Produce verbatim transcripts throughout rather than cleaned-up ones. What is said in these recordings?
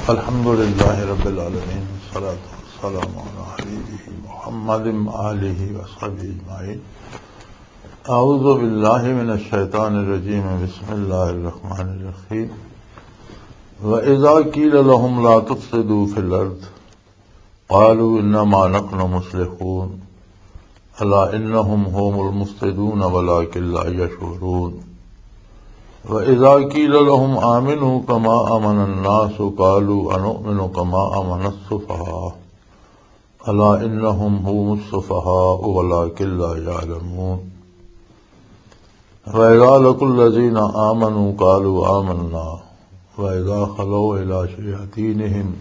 الحمد لله رب العالمين، والصلاة والسلام على حبيبه محمد وآله وصحبه أجمعين. أعوذ بالله من الشيطان الرجيم. بسم الله الرحمن الرحيم. وإذا قيل لهم لا تفسدوا في الأرض قالوا إنما نحن مصلحون. ألا إنهم هم المفسدون ولكن لا يشعرون. وإذا قيل لهم آمنوا كما آمن الناس قالوا أنؤمن كما آمن السفهاء. ألا إنهم هم السفهاء ولكن لا يعلمون. وإذا لقوا الذين آمنوا قالوا آمنا وإذا خلوا إلى شياطينهم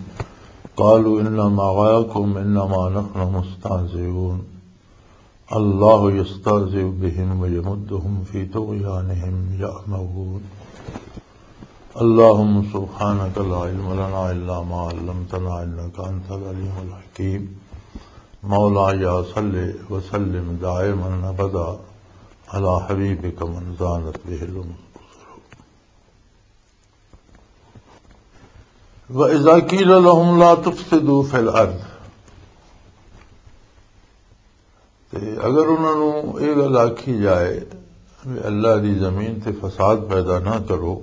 قالوا إنا معكم إنما نحن مستهزئون. الله يستهزئ بهم ويمدهم في طغيانهم يعمهون. اللهم سبحانك لا علم لنا إلا ما علمتنا إنك أنت العليم الحكيم. مولاي صل وسلم دائما أبدا على حبيبك من زانت به الأمور. وَإِذَا قِيلَ لَهُمْ لَا تُفْسِدُوا فِي الْأَرْضِ، تے اگر انہاں نوں یہ گل آکھی جائے کہ اللہ دی زمین تے فساد پیدا نہ کرو،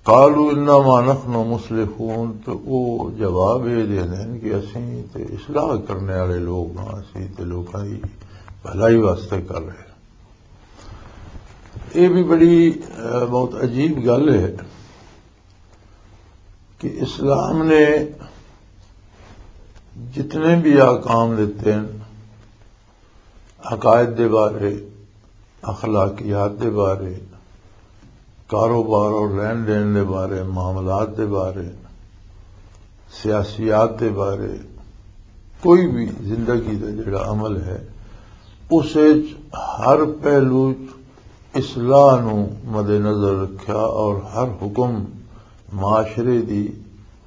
قالوا انما نحن مصلحون، تو وہ جواب یہ دے دین کہ اسی تے اصلاح کرنے والے لوگ ہاں، اسی تے لوکاں دی بھلائی واسطے کر رہے ہیں۔ یہ بھی بڑی، اہ، بہت عجیب گل ہے کہ اسلام نے جتنے بھی احکام دیتے ہیں، عقائد دے بارے، اخلاقیات دے بارے، کاروبار اور لین دین دے بارے، معاملات دے بارے، سیاسیات دے بارے، کوئی بھی زندگی دا جڑا عمل ہے، اس وچ ہر پہلو وچ اصلاح نو مد نظر رکھیا اور ہر حکم معاشرے دی،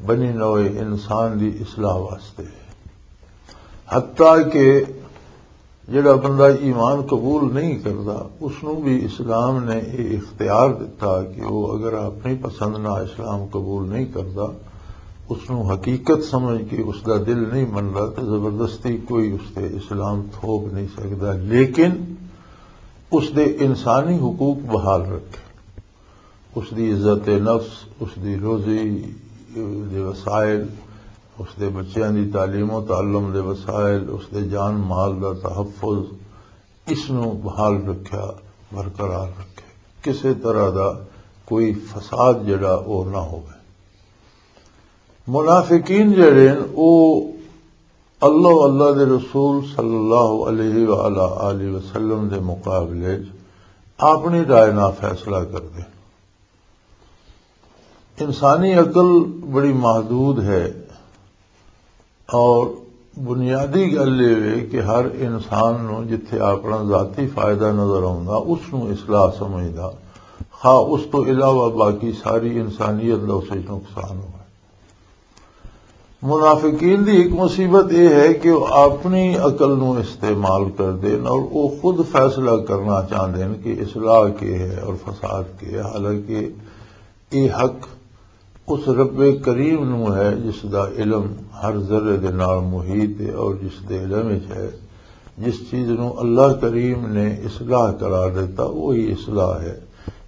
بنی نوع انسان دی اصلاح واسطے ہے۔ حتیٰ کہ جڑا بندہ ایمان قبول نہیں کردا، اس نوں بھی اسلام نے یہ اختیار دتا کہ وہ اگر اپنی پسند نہ اسلام قبول نہیں کردا، اس نوں حقیقت سمجھ کے اس دا دل نہیں مندا، تو زبردستی کوئی اس تے اسلام تھوپ نہیں سکدا۔ لیکن اس دے انسانی حقوق بحال رکھے، اس دی عزت نفس، اس دی روزی دے وسائل، اس دے بچیاں دی تعلیم و تعلم دے وسائل، اس دے جان مال دا تحفظ، اس نوں بحال رکھیا، برقرار رکھے، کسے طرح دا کوئی فساد جڑا او نہ ہووے۔ منافقین جڑے ہن، او اللہ و اللہ دے رسول صلی اللہ علیہ وآلہ آلہ وسلم دے مقابلے چ اپنی رائے نال فیصلہ کردے ہن۔ انسانی عقل بڑی محدود ہے، اور بنیادی گل یہ ہے کہ ہر انسان نوں جتھے اپنا ذاتی فائدہ نظر آوندا، اس نوں اصلاح سمجھدا، خواہ اس تو علاوہ باقی ساری انسانیت دا اس وچ نقصان ہوئے۔ منافقین دی ایک مصیبت یہ ہے کہ وہ اپنی عقل نوں استعمال کردے ہن اور وہ خود فیصلہ کرنا چاہندے ہن کہ اصلاح کی ہے اور فساد کی ہے، حالانکہ یہ حق اس رب کریم نوں ہے جس دا علم ہر ذرے دے نال محیط ہے اور جس دے علم وچ ہے۔ جس چیز نوں اللہ کریم نے اصلاح قرار دیتا، وہی اصلاح ہے۔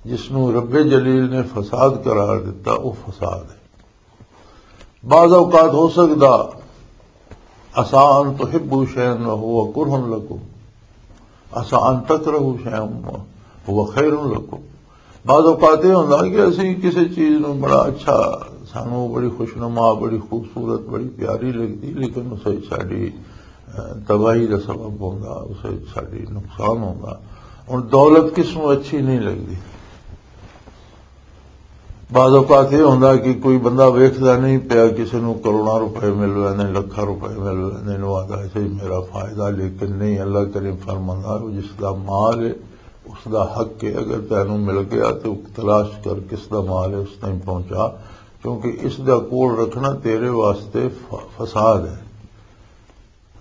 جس نوں رب جلیل نے فساد قرار دیتا، وہ فساد ہے۔ بعض اوقات ہو سکدا، عسیٰ ان تحبوا شیئا وهو کرہ لکم، عسیٰ ان تکرہوا شیئا وهو خیر لکم۔ بعض اوقات یہ ہوندا کہ اسی کسی چیز نوں بڑا اچھا، سانوں بڑی خوشنما، بڑی خوبصورت، بڑی پیاری لگدی، لیکن اس وچ ساڈی، اہ، تباہی دا سبب ہوندا، اس وچ ساڈی نقصان ہوندا۔ ہن دولت کس نوں اچھی نہیں لگدی؟ بعض اوقات یہ ہوندا کہ کوئی بندہ ویکھدا نہیں پیا، کسے نوں کروڑاں روپے مل ویندے، لکھاں روپے مل ویندے، نوں آہدا، "ایسے ہی میرا فائدہ"، لیکن نہیں، اللہ کریم فرماندا، "وہ جس دا مال ہے، اس دا حق ہے، اگر تینوں مل گیا تو تلاش کر کس دا مال ہے، اس تائیں پہنچا، کیونکہ اس دا کول رکھنا تیرے واسطے ف-، فساد ہے۔"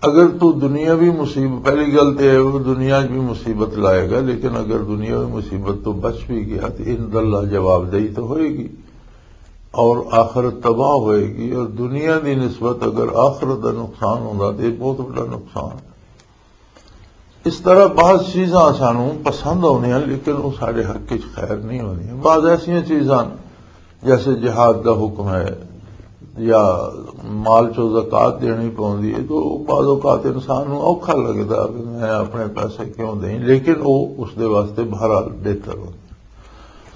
اگر تو دنیاوی مصیبت، پہلی گل تے ہے، وہ دنیا وچ بھی مصیبت لائے گا، لیکن اگر دنیاوی مصیبت تو بچ بھی گیا، تو ان اللہ جواب دہی تو ہوئے گی۔ اور آخرت تباہ ہوئے گی، اور دنیا دی نسبت اگر آخرت دا نقصان ہوندا تو یہ بہت بڑا نقصان ہے۔ اس طرح بعض چیزاں سانوں پسند آؤندیاں، لیکن وہ سارے حق وچ خیر نہیں ہوندیاں۔ بعض ایسیاں چیزاں جیسے جہاد دا حکم ہے یا مال چوں زکوٰۃ دینی پوندی ہے، تو بعض اوقات انسان نوں اوکھا لگدا کہ میں اپنے پیسے کیوں دیں، لیکن وہ اس دے واسطے بہرحال بہتر ہوندی۔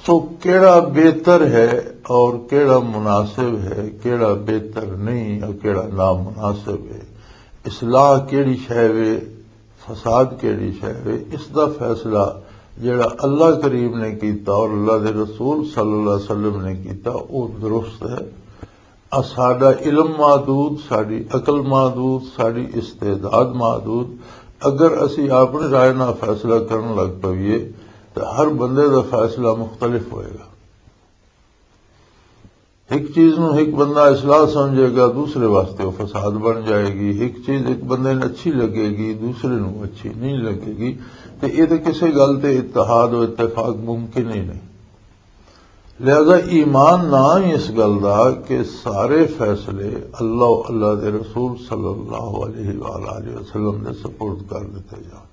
سو کیڑا بہتر ہے اور کیڑا مناسب ہے، کیڑا بہتر نہیں اور کیڑا نامناسب ہے، اصلاح کیڑی شے وے، فساد کیڑی شے وے، اس دا فیصلہ جڑا اللہ کریم نے کیتا اور اللہ دے رسول صلی اللہ علیہ وسلم نے کیتا، وہ درست ہے۔ آ ساڈا علم محدود، ساڈی عقل محدود، ساڈی استعداد محدود۔ اگر اسی اپنی رائے نال فیصلہ کرن لگ پئیے تو ہر بندے دا فیصلہ مختلف ہوئے گا۔ ایک چیز نو ایک بندہ اصلاح سمجھے گا، دوسرے واسطے وہ فساد بن جائے گی۔ ایک چیز ایک بندے نوں اچھی لگے گی، دوسرے نوں اچھی نہیں لگے گی۔ تے یہ تے کسے گل تے اتحاد و اتفاق ممکن ہی نہیں۔ لہذا ایمان نہ ہی اس گل دا کہ سارے فیصلے اللہ و اللہ دے رسول صلی اللہ علیہ وآلہ وسلم دے سپرد کر دیتے جان۔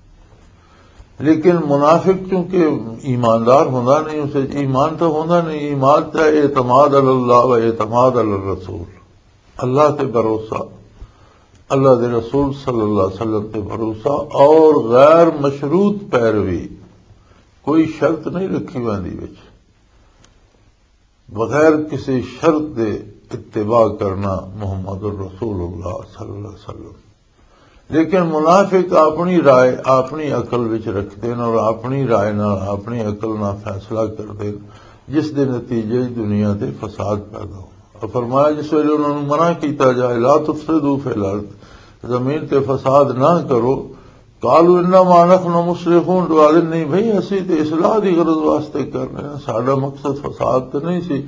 لیکن منافق چونکہ ایماندار ہوندا نہیں، اسے ایمان تو ہوندا نہیں۔ ایمان تو اعتماد علی اللہ و اعتماد علی الرسول، اللہ تے بھروسہ، اللہ دے رسول صلی اللہ علیہ وسلم تے بھروسہ اور غیر مشروط پیروی۔ کوئی شرط نہیں رکھی ویندی وچ، بغیر کسی شرط دے اتباع کرنا محمد الرسول اللہ صلی اللہ علیہ وسلم۔ لیکن منافق اپنی رائے اپنی عقل وچ رکھتے ہیں اور اپنی رائے نال، اپنی عقل نال فیصلہ کرتے ہیں، جس دے نتیجے وچ دنیا تے فساد پیدا ہونا۔ اور فرمایا، جس ویلے انہاں نوں منع کیتا جائے، "لا تفسدوا فی الارض"، زمین تے فساد نہ کرو، "قالوا انما نحن مصلحون"، تو آدھے، "نہیں بھائی، اسی تے اصلاح دی غرض واسطے کر رہے ہیں، ساڈا مقصد فساد تے نہیں سی،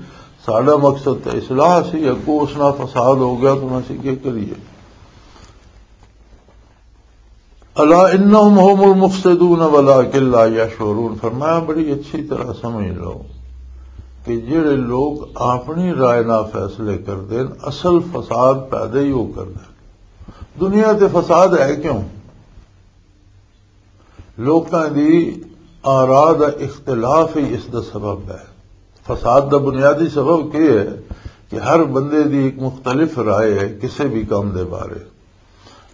ساڈا مقصد تے اصلاح سی، اگوں اس نال فساد ہو گیا تو اسی کی کریے؟" "الا انہم هم المفسدون ولکن لا یشعرون"، فرمایا، بڑی اچھی طرح سمجھ لو کہ جڑے لوگ اپنی رائے نال فیصلے کردے ہیں، اصل فساد پیدا ہی وہ کردے ہیں۔ دنیا تے فساد ہے کیوں؟ لوکاں دی آراء دا اختلاف ہی اس دا سبب ہے۔ فساد دا بنیادی سبب کی ہے کہ ہر بندے دی ایک مختلف رائے ہے کسی بھی کام دے بارے۔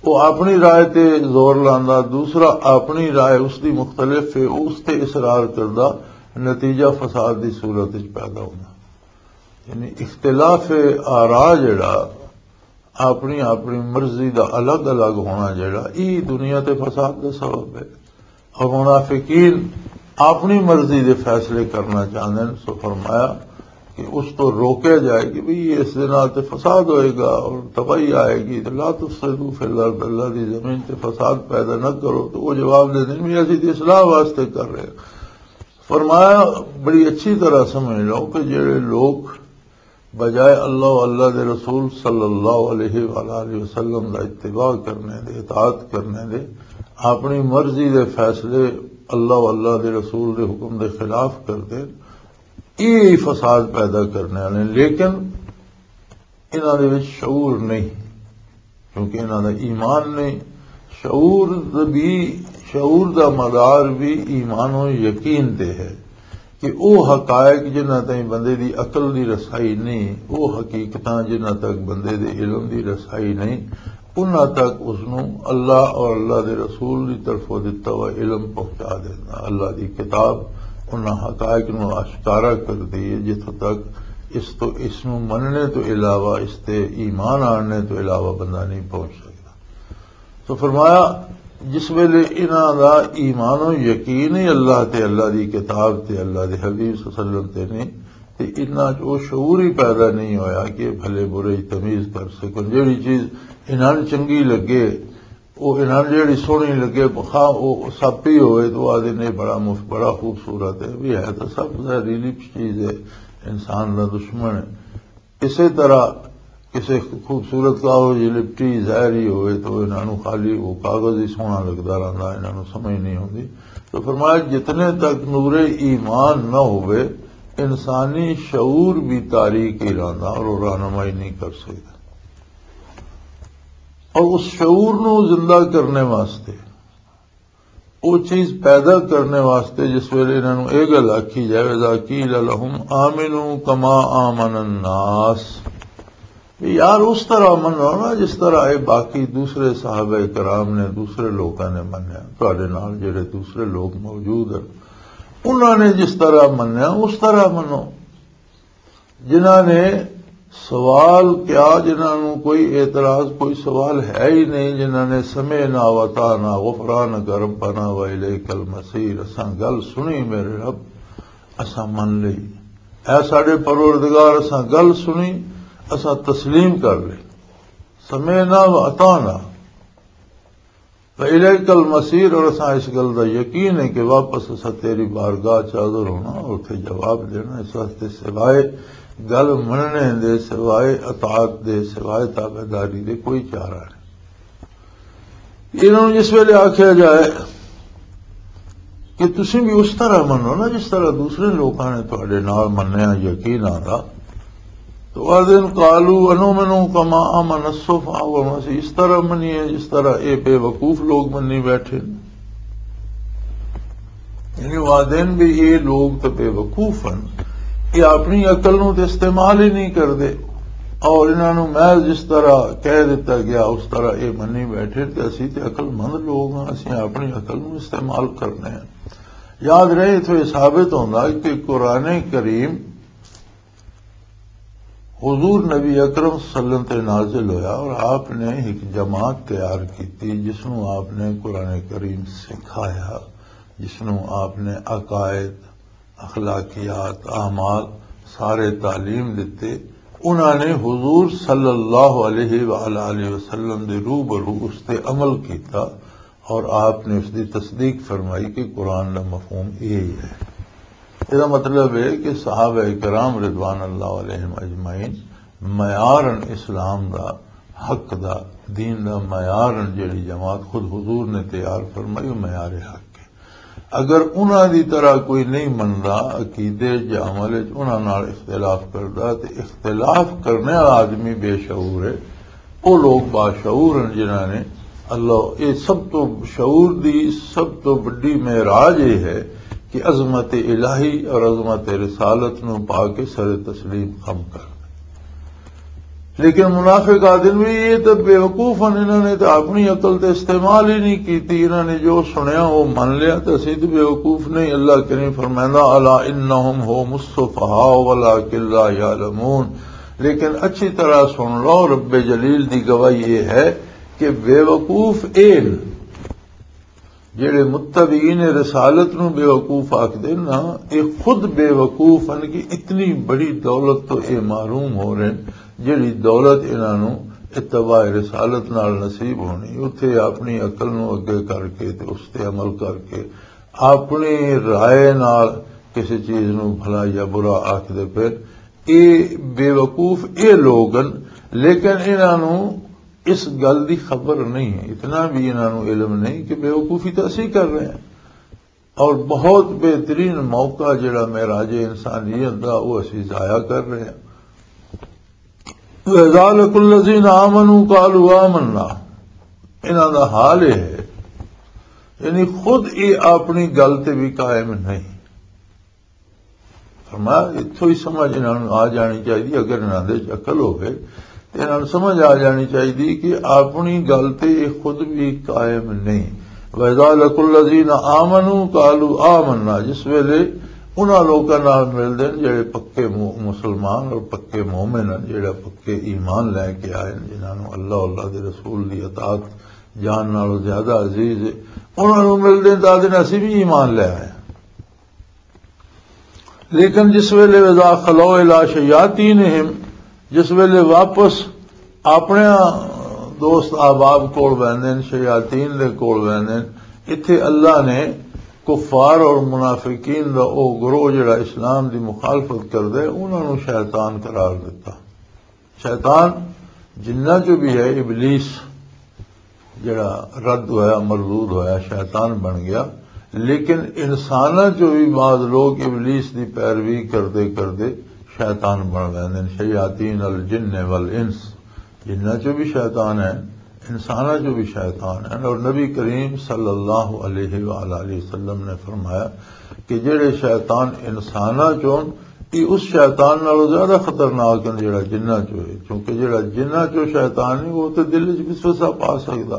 وہ اپنی رائے تے زور لاندا، دوسرا اپنی رائے اس دی مختلف ہے، اس تے اصرار کردا، نتیجہ فساد دی صورت وچ پیدا ہوندا۔ یعنی اختلاف آراء جڑا، اپنی اپنی مرضی دا الگ الگ ہونا جڑا، ای دنیا تے فساد دا سبب ہے۔ اور منافقین اپنی مرضی دے فیصلے کرنا چاہندے ہیں، سو فرمایا کہ اس تو روکیا جائے کہ بھئی اس دے نال تے فساد ہوئے گا اور تباہی آئے گی، تے "لا تفسدوا فی الارض"، اللہ دی زمین تے فساد پیدا نہ کرو۔ تو وہ جواب دے دیں بھی اسی تے اصلاح واسطے کر رہے ہیں۔ فرمایا، بڑی اچھی طرح سمجھ لو کہ جڑے لوگ بجائے اللہ و اللہ دے رسول صلی اللہ علیہ وآلہ وسلم دا اتباع کرنے دے، اطاعت کرنے دے، اپنی مرضی دے فیصلے اللہ و اللہ دے رسول دے حکم دے خلاف کردے، یہ فساد پیدا کرنے والے۔ لیکن انہاں دے وچ شعور نہیں، کیونکہ انہاں دا ایمان نہیں۔ شعور دا بھی، شعور دا مدار بھی ایمان و یقین تے ہے کہ او حقائق جنہاں تائیں بندے دی عقل دی رسائی نہیں، او حقیقتاں جنہاں تک بندے دے علم دی رسائی نہیں، انہاں تک اس نوں اللہ اور اللہ دے رسول دی طرفوں دتا ہوا علم پہنچا دینا، اللہ دی کتاب انہاں حقائق نوں آشکارا کر دی ہے، جتھوں تک اس تو، اس نوں مننے تو علاوہ، اس تے ایمان آننے تو علاوہ بندہ نہیں پہنچ سکتا۔ تو فرمایا، جس ویلے انہاں دا ایمان و یقین ہی اللہ تے، اللہ دی کتاب تے، اللہ دے حبیب صلی اللہ علیہ وسلم تے نہیں، تے انہاں چ او شعور ہی پیدا نہیں ہویا کہ بھلے برے دی تمیز کر سکن۔ جیڑی چیز انہاں نوں چنگی لگے، او انہاں نوں جیڑی سوہنی لگے، بخا او سپ ہی ہوئے تو آدھے نے بڑا مفت، بڑا خوبصورت ہے، بھی ہے تو سب زہریلی چیز ہے، انسان دا دشمن ہے۔ اسی طرح کسی خوبصورت کاغذ دی لپٹی ظاہری ہوئے تو انہاں نوں خالی وہ کاغذ ہی سوہنا لگدا رہندا، انہاں نوں سمجھ نہیں ہوندی۔ تو فرمایا، جتنے تک نور ایمان نہ ہوئے، انسانی شعور بھی تاریک ہی رہندا اور وہ رہنمائی نہیں کر سکدا۔ اور اس شعور نو زندہ کرنے واسطے، وہ چیز پیدا کرنے واسطے، جس ویلے انہاں نوں یہ گل آکھی جائے، "اذا قیل لهم آمنوا کما آمن الناس"، یار، اس طرح منو نا جس طرح اے باقی دوسرے صحابہ کرام نے، دوسرے لوکاں نے منیا، تہاڈے نال جڑے دوسرے لوگ موجود ہیں، انہاں نے جس طرح منیا، اس طرح منو۔ جنہاں نے سوال کیا، جنہاں نوں کوئی اعتراض، کوئی سوال ہے ہی نہیں، جنہاں نے "سمعنا واطعنا، غفرانک ربنا والیک المصیر"، اساں گل سنی میرے رب، اساں من لئی، اے ساڈے پروردگار، اساں گل سنی، اساں تسلیم کر لئی، "سمعنا واطعنا والیک المصیر"، اور اساں اس گل دا یقین ہے کہ واپس اساں تیری بارگاہ چ حاضر ہونا اور اتھے جواب دینا۔ اس واسطے سوائے گل مننے دے، سوائے اطاعت دے، سوائے تابعداری دے کوئی چارہ نہیں۔ انہاں نوں جس ویلے آکھیا جائے کہ تسی بھی اس طرح منو نا جس طرح دوسرے لوکاں نے تہاڈے نال منیا، یقین آندا، تو آدھن، "قالوا انؤمن کما آمن السفهاء"، اور اسی اس طرح منیے جس طرح اے بے وقوف لوگ منی بیٹھے۔ یعنی وہ آدھن بھی یہ لوگ تو بے وقوف ہیں، یہ اپنی عقل نوں تے استعمال ہی نہیں کردے، اور انہاں نوں محض جس طرح کہہ دیتا گیا اس طرح یہ منی بیٹھے، تے اسی تے عقل مند لوگ ہاں، اسی اپنی عقل نوں استعمال کرنے ہیں۔ یاد رہے، اتھوں یہ ثابت ہوندا کہ قرآن کریم حضور نبی اکرم صلی اللہ علیہ وسلم تے نازل ہویا اور آپ نے ایک جماعت تیار کی تھی، جس نوں آپ نے قرآن کریم سکھایا، جس نوں آپ نے عقائد، اخلاقیات، اعمال سارے تعلیم دیتے۔ انہاں نے حضور صلی اللہ علیہ وآلہ وسلم دے روبرو اس تے عمل کیتا۔ اور آپ نے اس دی تصدیق فرمائی کہ قرآن دا مفہوم یہی ہے۔ اس دا مطلب ہے کہ صحابہ کرام رضوان اللہ علیہم اجمعین معیارن اسلام دا، حق دا، دین دا معیارن جڑی جماعت خود حضور نے تیار فرمائی، وہ معیار حق ہے۔ اگر انہاں دی طرح کوئی نہیں مندا عقیدے یا عمل وچ، انہاں نال اختلاف کردا، تے اختلاف کرنے والا آدمی بے شعور ہے۔ وہ لوگ باشعور ہیں جنہاں نے اللہ، یہ سب تو شعور دی سب تو بڑی معراج یہ ہے کہ عظمت الہی اور عظمت رسالت نو پا کے سر تسلیم خم کر دے۔ لیکن منافق آدم بھی یہ تو بیوقوف ہیں، انہوں نے تو اپنی عقل تے استعمال ہی نہیں کیتی، انہوں نے جو سنیا وہ من لیا، تو اسی تو بیوقوف نہیں۔ اللہ کریم فرمائندا، "الا انہم هم السفهاء ولكن لا يعلمون"، لیکن اچھی طرح سن لو، رب جلیل دی گواہی یہ ہے کہ بے وقوف اے نے۔ جڑے متبعین رسالت نو بے وقوف آکھدے نا، اے خود بے وقوف ہیں کہ اتنی بڑی دولت تو اے محروم ہو رہے ہیں، جڑی دولت انہاں نو اتباع رسالت نال نصیب ہونی۔ اتھے اپنی عقل نو اگے کر کے تے اس تے عمل کر کے اپنی رائے نال کسی چیز نو بھلا یا برا آکھدے پھر، اے بے وقوف اے لوگ ہن، لیکن انہاں نو اس گل دی خبر نہیں ہے، اتنا بھی انہاں نو علم نہیں کہ بے وقوفی تو اسی کر رہے ہیں۔ اور بہت بہترین موقع جڑا معراج انسانیت دا، وہ اسی ضائع کر رہے ہیں۔ وَإِذَا لَقُوا الَّذِينَ آمَنُوا قَالُوا آمَنَّا، انہاں دا حال یہ ہے، یعنی خود یہ اپنی گل تے بھی قائم نہیں۔ فرمایا، اتھوں ہی سمجھ انہاں نوں آ جانی چاہیے، اگر انہاں دے وچ عقل ہوے تے انہاں نوں سمجھ آ جانی چاہیے کہ اپنی گل تے یہ خود بھی قائم نہیں۔ وَإِذَا لَقُوا الَّذِينَ آمَنُوا قَالُوا آمَنَّا، جس ویلے انہاں لوکاں نال ملدے نے جڑے پکے مو-، مسلمان اور پکے مومن ہیں، جڑے پکے ایمان لے کے آئے ہیں، جنہاں نوں اللہ، اللہ دے رسول دی اطاعت جان نالوں زیادہ عزیز ہے، انہاں نوں ملدے نے تے آدھے نے، "اسی بھی ایمان لے آئے ہیں۔" لیکن جس ویلے "وَإِذَا خَلَوْا إِلَىٰ شَيَاطِينِهِمْ"، جس ویلے واپس اپنے دوست احباب کول ویندے نے، شیاطین دے کول ویندے نے، اتھے اللہ نے کفار اور منافقین دا او گروہ جڑا اسلام دی مخالفت کردا ہے، انہاں نوں شیطان قرار دتا۔ شیطان جنہ جو بھی ہے، ابلیس جڑا رد ہویا، مردود ہویا، شیطان بن گیا۔ لیکن انساناں چوں بھی بعض لوگ ابلیس دی پیروی کردے کردے شیطان بن لیندے نے، شیاطین الجن والانس۔ جنہاں چوں بھی شیطان ہیں، انساناں چوں بھی شیطان ہیں۔ اور نبی کریم صلی اللہ علیہ وآلہ وسلم نے فرمایا کہ جڑے شیطان انساناں چوں، یہ اس شیطان نالوں زیادہ خطرناک ہیں جڑا جنہاں چوں ہے، کیونکہ جڑا جنہاں چوں شیطان ہے، وہ تے دل وچ وسوسہ پا سکدا۔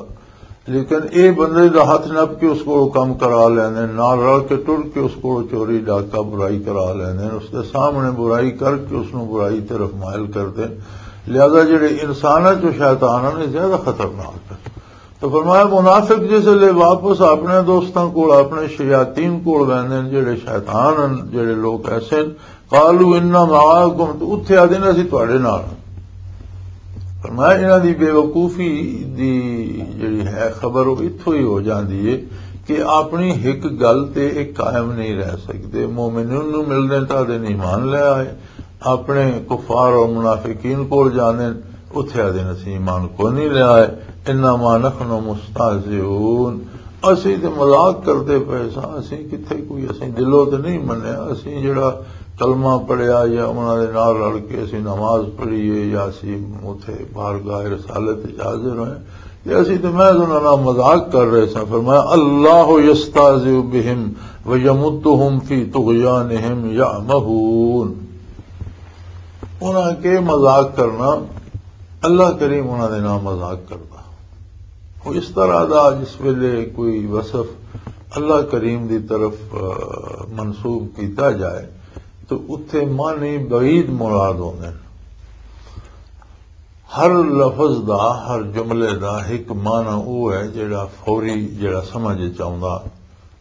لیکن اے بندے دا ہتھ نپ کے اس کولوں کم کرا لیندے، نال رل کے ٹر کے اس کولوں چوری ڈاکہ برائی کرا لیندے، اس دے سامنے برائی کر کے اس نوں برائی طرف مائل کردے۔ لہذا جڑے انساناں چوں شیطان ہن، اے زیادہ خطرناک ہن۔ تو فرمایا، منافق جس لے واپس اپنے دوستاں کول، اپنے شیاطین کول ویندے نے، جڑے شیطان ہن، جڑے لوگ ایسے ہن، قالوا انا معاکم، تو اتھے آدھے نے، "اسی تواڈے نال ہاں۔" فرمایا، انہاں دی بے وقوفی دی جڑی ہے خبر، وہ اتھوں ہی ہو جاندی ہے کہ اپنی ایک گل تے ایک قائم نہیں رہ سکدے۔ مومنین نوں ملدے نے تاں آدھے نے ایمان لے آئے، اپنے کفار اور منافقین کول جاندے نے، اتھے آدھے نے، "اسی ایمان کو نہیں لے آئے۔" انما نحن مستہزئون، اسی تے مذاق کردے پئے ساں، اسی کتھے کوئی، اسی دلوں تے نہیں منیا، اسی جڑا کلمہ پڑھیا یا انہاں دے نال رل کے اسی نماز پڑھی ہے یا اسی اوتھے بارگاہ رسالت وچ حاضر ہوئے، تے اسی تے محض انہاں نال مذاق کر رہے ساں۔ فرمایا، "اللہ یستہزئ بہم ویمدہم فی طغیانہم یعمہون۔" انہاں کے مذاق کرنا، اللہ کریم انہاں دے نال مذاق کردا۔ وہ اس طرح دا جس ویلے کوئی وصف اللہ کریم دی طرف، آ، منسوب کیتا جائے تو اتھے معنی بعید مراد ہوندے نے۔ ہر لفظ دا، ہر جملے دا ایک معنی وہ ہے جڑا فوری، جڑا سمجھ وچ آوندا۔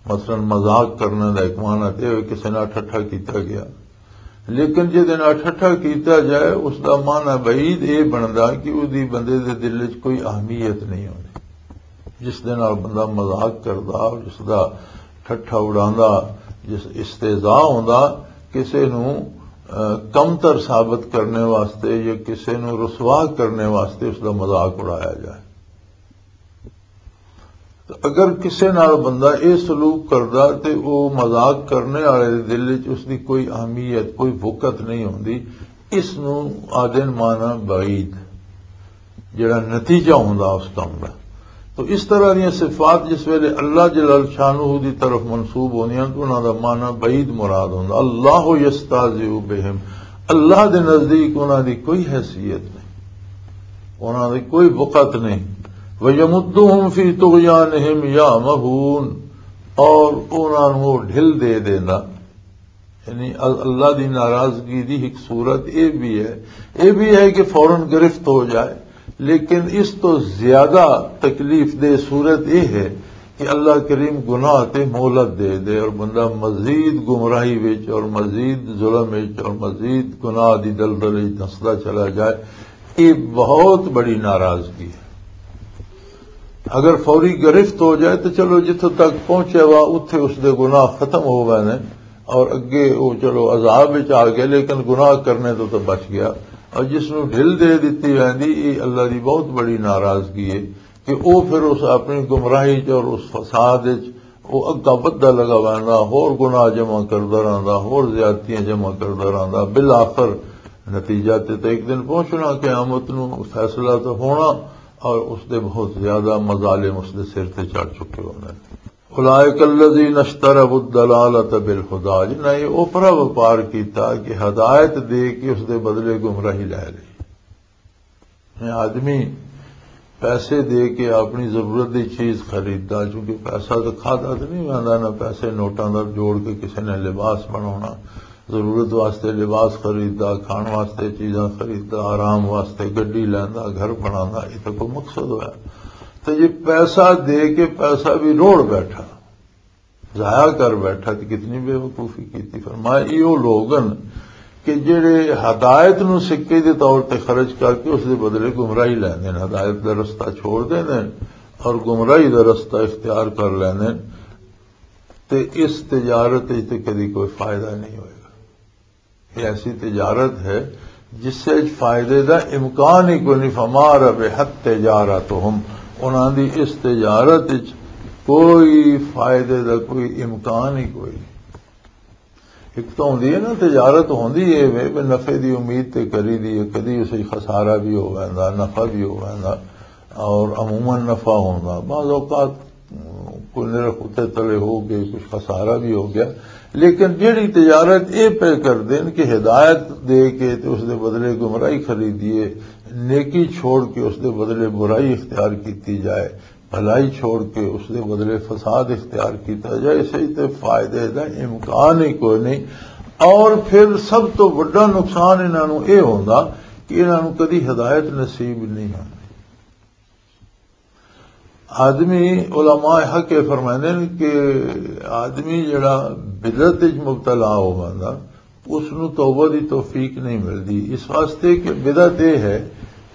مثلاً مذاق کرنے دا ایک معنی تے ہوئے کسے نال ٹھٹھا کیتا گیا، لیکن جے دے نال ٹھٹھا کیتا جائے، اس دا معنی بعید اے بندا کہ او دی بندے دے دل وچ کوئی اہمیت نہیں ہوندی۔ جس دے نال بندہ مذاق کردا، جس دا ٹھٹھا اڑاندا، جس استہزاء ہوندا، کسے نوں، آ، کمتر ثابت کرنے واسطے یا کسے نوں رسوا کرنے واسطے اس دا مذاق اڑایا جائے۔ تو اگر کسے نال بندہ اے سلوک کردا تے او مذاق کرنے والے دے دل وچ اس دی کوئی اہمیت، کوئی وقت نہیں ہوندی، اس نوں آدن مانا بعید، جڑا نتیجہ ہوندا اس کام دا۔ تو اس طرح دیاں صفات جس ویلے اللہ جلال شانہ دی طرف منسوب ہوندیاں تو انہاں دا مانا بعید مراد ہوندا۔ اللہ یستہزئ بہم، اللہ دے نزدیک انہاں دی کوئی حیثیت نہیں، انہاں دی کوئی وقت نہیں۔ وَيَمُدُّهُمْ فِي طُغْيَانِهِمْ يَعْمَهُونَ، اور انہاں نوں ڈھل دے دیندا۔ یعنی ال-، اللہ دی ناراضگی دی ایک صورت اے بھی ہے، اے بھی ہے کہ فوراً گرفت ہو جائے، لیکن اس تو زیادہ تکلیف دہ صورت اے ہے کہ اللہ کریم گناہ تے مہلت دے دے اور بندہ مزید گمراہی وچ اور مزید ظلم وچ اور مزید گناہ دی دلدل وچ دھسدا چلا جائے۔ یہ بہت بڑی ناراضگی ہے۔ اگر فوری گرفت ہو جائے تو چلو جتھوں تک پہنچے وا اتھے اس دے گناہ ختم ہو گئے نے اور اگے وہ چلو عذاب وچ آ گیا لیکن گناہ کرنے تو تو بچ گیا۔ اور جس نوں ڈھل دے دتی ویندی، یہ اللہ دی بہت بڑی ناراضگی ہے کہ وہ پھر اس اپنی گمراہی چ اور اس فساد وچ وہ اگا ودھدا لگا ویندا، ہور گناہ جمع کردا رہندا، ہور زیادتیاں جمع کردا رہندا۔ بالآخر نتیجہ تے تے ایک دن پہنچنا، قیامت نو فیصلہ تو ہونا، اور اس دے بہت زیادہ مظالم اس دے سر تے چڑھ چکے ہوندے نے۔ اولئک الذین اشتروا الضلالۃ بالہدی، جنہاں یہ اوپرا وپار کیتا کہ ہدایت دے کے اس دے بدلے گمراہی لے لئی۔ میں آدمی پیسے دے کے اپنی ضرورت دی چیز خریددا، چونکہ پیسہ تو کھادا تو نہیں ویندا، نہ پیسے نوٹاں دا جوڑ کے کسی نے لباس بناونا، ضرورت واسطے لباس خریددا، کھان واسطے چیزاں خریددا، آرام واسطے گڈی لیندا، گھر بناندا، یہ تو کوئی مقصد ہویا۔ تو یہ پیسہ دے کے پیسہ بھی روڑ بیٹھا، ضائع کر بیٹھا تے کتنی بے وقوفی کیتی۔ فرمایا، ایہو لوگ ہن کہ جڑے ہدایت نو سکے دے طور تے خرچ کر کے اس دے بدلے گمراہی لیندے نے، ہدایت دا رستہ چھوڑ دیندے نے اور گمراہی دا رستہ اختیار کر لیندے نے۔ تے اس تجارت وچ تے کدی کوئی فائدہ نہیں ہوئے گا۔ یہ ایسی تجارت ہے جس سے فائدے دا امکان ہی کوئی نہیں۔ فما ربحت تجارتہم، انہاں دی اس تجارت وچ کوئی فائدے دا کوئی امکان ہی کوئی نہیں۔ ایک تو ہوندی ہے نا، تجارت ہوندی ہے وے، وے نفع دی امید تے کری دی ہے، کدی اسے خسارہ بھی ہو ویندا، نفع بھی ہو ویندا، اور عموماً نفع ہوندا۔ بعض اوقات کوئی نرخ اتے تلے ہو گئے، کچھ خسارہ بھی ہو گیا، لیکن جڑی تجارت اے پہ کر دین کہ ہدایت دے کے تے اس دے بدلے گمراہی خریدیے، نیکی چھوڑ کے اس دے بدلے برائی اختیار کیتی جائے، بھلائی چھوڑ کے اس دے بدلے فساد اختیار کیتا جائے، اس وچ تے فائدے دا امکان ہی کوئی نہیں۔ اور پھر سب تو وڈا نقصان انہاں نوں اے ہوندا کہ انہاں نوں کدی ہدایت نصیب نہیں ہوندی۔ آدمی، علماء حق یہ فرماندے نے کہ آدمی جڑا بدعت وچ مبتلا ہو ویندا، اس نوں توبہ دی توفیق نہیں ملدی، اس واسطے کہ بدعت یہ ہے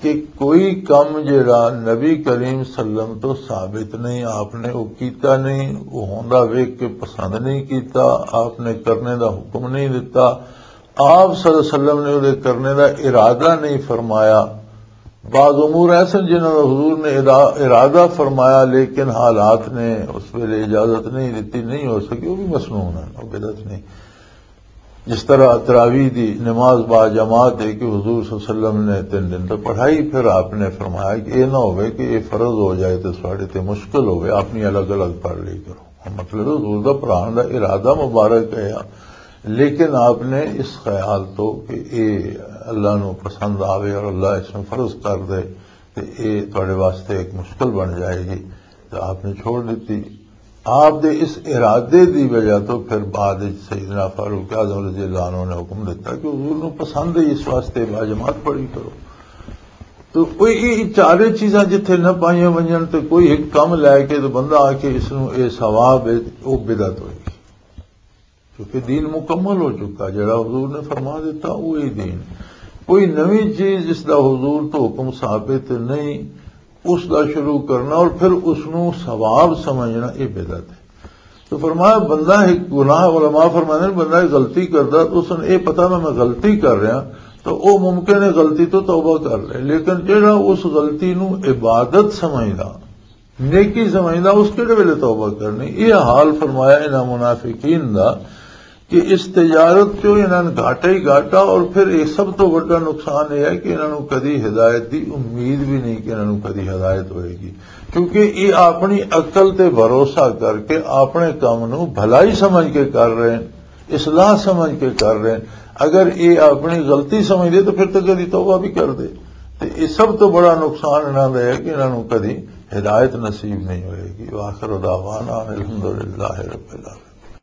کہ کوئی کم جڑا نبی کریم صلی اللہ علیہ وسلم تو ثابت نہیں، آپ نے وہ کیتا نہیں، وہ ہوندا ویکھ کے پسند نہیں کیتا، آپ نے کرنے دا حکم نہیں دتا، آپ صلی اللہ علیہ وسلم نے وہ کرنے دا ارادہ نہیں فرمایا۔ بعض امور ایسے جنہاں دا حضور نے ادا-، ارادہ فرمایا، لیکن حالات نے اس ویلے اجازت نہیں دیتی، نہیں ہو سکی، وہ بھی مسنون ہے، وہ بدعت نہیں۔ جس طرح تراویح دی نماز با جماعت ہے کہ حضور صلی اللہ علیہ وسلم نے تین دن تو پڑھائی، پھر آپ نے فرمایا کہ یہ نہ ہوئے کہ یہ فرض ہو جائے تو ساڑے تے مشکل ہوئے، اپنی الگ الگ پڑھ لی کرو۔ مطلب حضور دا پڑھان دا ارادہ مبارک ہے، لیکن آپ نے اس خیال تو کہ اے اللہ نو پسند آوے اور اللہ اس نو فرض کر دے تے اے تواڈے واسطے ایک مشکل بن جائے گی، تو آپ نے چھوڑ دیتی۔ آپ دے اس ارادے دی وجہ تو پھر بعد وچ سیدنا فاروق اعظم رضی اللہ عنہ نے حکم دیتا کہ حضور نو پسند ہے، اس واسطے با جماعت پڑھی کرو۔ تو کوئی یہ چارے چیزاں جتھے نہ پائیاں ونجن تے کوئی ایک کم لے کے تو بندہ آ کے اس نو اے ثواب ہے، او بدعت ہوئے گی۔ کیونکہ دین مکمل ہو چکا، جڑا حضور نے فرما دیتا وہی دین۔ کوئی نویں چیز جس دا حضور تو حکم ثابت نہیں، اس دا شروع کرنا اور پھر اس نو ثواب سمجھنا، یہ بدعت ہے۔ تو فرمایا بندہ ایک گناہ، علماء فرماندے نے بندہ ایک غلطی کردا تو اس نے یہ پتا میں، میں غلطی کر رہا، تو او ممکن ہے غلطی تو توبہ کر لے، لیکن جڑا اس غلطی نو عبادت سمجھدا، نیکی سمجھدا، اس کہڑے ویلے توبہ کرنی؟ یہ حال فرمایا انہاں منافقین دا کہ اس تجارت چوں انہاں نے گھاٹا ہی گھاٹا، اور پھر یہ سب تو بڑا نقصان یہ ہے کہ انہاں نوں کدی ہدایت دی امید بھی نہیں کہ انہاں نوں کدی ہدایت ہوئے گی، کیونکہ یہ اپنی عقل تے بھروسہ کر کے اپنے کام نوں بھلائی سمجھ کے کر رہے ہیں، اصلاح سمجھ کے کر رہے ہیں۔ اگر یہ اپنی غلطی سمجھ دے تو پھر تو کدی توبہ بھی کر دے۔ تے یہ سب تو بڑا نقصان انہاں دا ہے کہ انہاں نوں کدی ہدایت نصیب نہیں ہوئے گی۔ وآخر دعوانا ان الحمدللہ رب العالمین۔